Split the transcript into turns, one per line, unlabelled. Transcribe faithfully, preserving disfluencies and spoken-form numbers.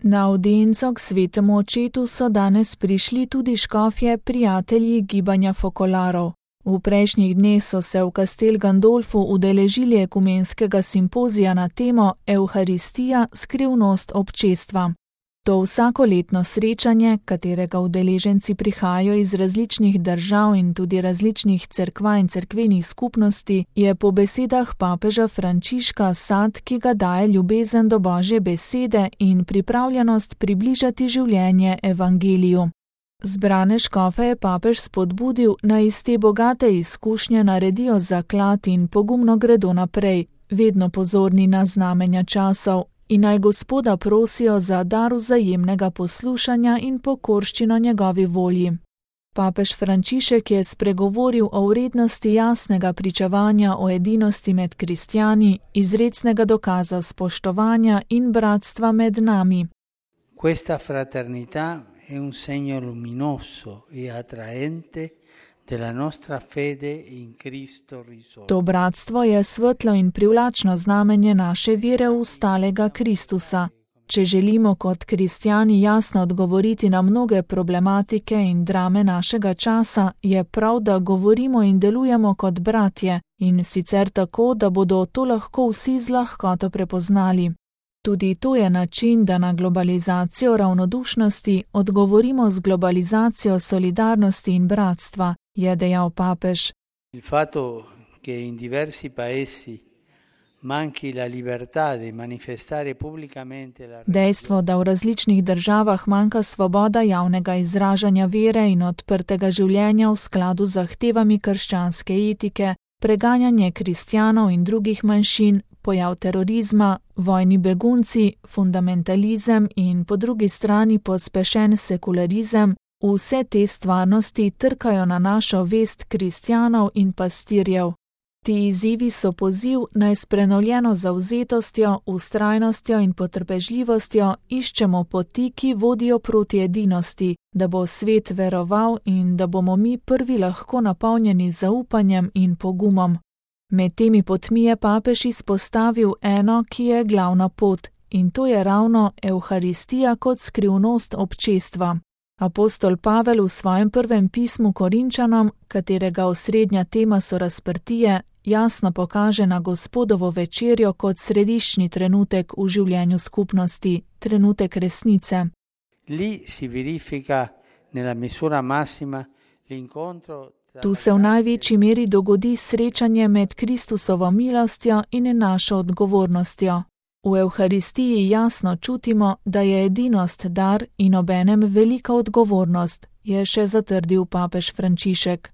Na avdienco k svetemu očetu so danes prišli tudi škofje prijatelji gibanja fokolarov. V prejšnjih dneh so se v Castel Gandolfu udeležili ekumenskega simpozija na temo Evharistija, skrivnost občestva. To vsakoletno srečanje, katerega udeleženci prihajajo iz različnih držav in tudi različnih cerkva in cerkvenih skupnosti, je po besedah papeža Frančiška sad, ki ga daje ljubezen do Božje besede in pripravljenost približati življenje evangeliju. Zbrane škofe je papež spodbudil, naj iz te bogate izkušnje naredijo zaklad in pogumno gredo naprej, vedno pozorni na znamenja časov, in naj Gospoda prosijo za dar vzajemnega poslušanja in pokorščino njegovi volji. Papež Frančišek je spregovoril o vrednosti jasnega pričevanja o edinosti med kristjani, izrecnega dokaza spoštovanja in bratstva med nami.
Questa fraternità è un segno luminoso e attraente della nostra fede in Cristo risorto.
To bratstvo je svetlo in privlačno znamenje naše vere v stalega Kristusa. Če želimo kot kristjani jasno odgovoriti na mnoge problematike in drame našega časa, je prav, da govorimo in delujemo kot bratje, in sicer tako, da bodo to lahko vsi z lahkoto prepoznali. Tudi to je način, da na globalizacijo ravnodušnosti odgovorimo z globalizacijo solidarnosti in bratstva, je dejal papež.
Il fatto che in diversi paesi manchi la libertà di manifestare pubblicamente la
Dejstvo, da v različnih državah manjka svoboda javnega izražanja vere in odprtega življenja v skladu z zahtevami krščanske etike, preganjanje kristjanov in drugih manjšin, pojav terorizma, vojni begunci, fundamentalizem in po drugi strani pospešen sekularizem, vse te stvarnosti trkajo na našo vest kristjanov in pastirjev. Ti izzivi so poziv, naj s prenovljeno zavzetostjo, vztrajnostjo in potrpežljivostjo iščemo poti, ki vodijo proti edinosti, da bo svet veroval in da bomo mi prvi lahko napolnjeni z zaupanjem in pogumom. Med temi potmi je papež izpostavil eno, ki je glavna pot, in to je ravno Evharistija kot skrivnost občestva. Apostol Pavel v svojem prvem pismu Korinčanom, katerega osrednja tema so razprtije, jasno pokaže na Gospodovo večerjo kot središčni trenutek v življenju skupnosti, trenutek resnice.
Lì si verifica nella misura massima l'incontro.
Tu se v največji meri dogodi srečanje med Kristusovo milostjo in našo odgovornostjo. V Evharistiji jasno čutimo, da je edinost dar in obenem velika odgovornost, je še zatrdil papež Frančišek.